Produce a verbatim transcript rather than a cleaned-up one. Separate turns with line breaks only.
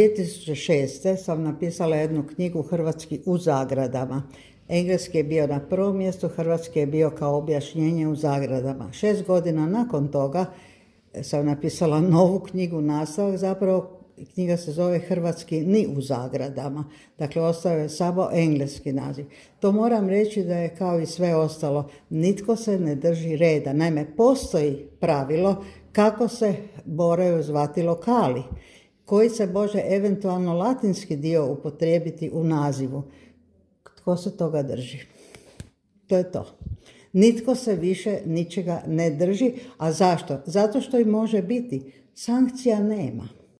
dvije tisuće šeste. sam napisala jednu knjigu Hrvatski u zagradama. Engleski je bio na prvom mjestu, hrvatski je bio kao objašnjenje u zagradama. Šest godina nakon toga sam napisala novu knjigu, nastavak, zapravo knjiga se zove Hrvatski ni u zagradama. Dakle, ostao je samo engleski naziv. To moram reći da je kao i sve ostalo, nitko se ne drži reda. Naime, postoji pravilo kako se moraju zvati lokali, koji se može eventualno latinski dio upotrijebiti u nazivu. Tko se toga drži? To je to. Nitko se više ničega ne drži. A zašto? Zato što i može biti. Sankcija nema.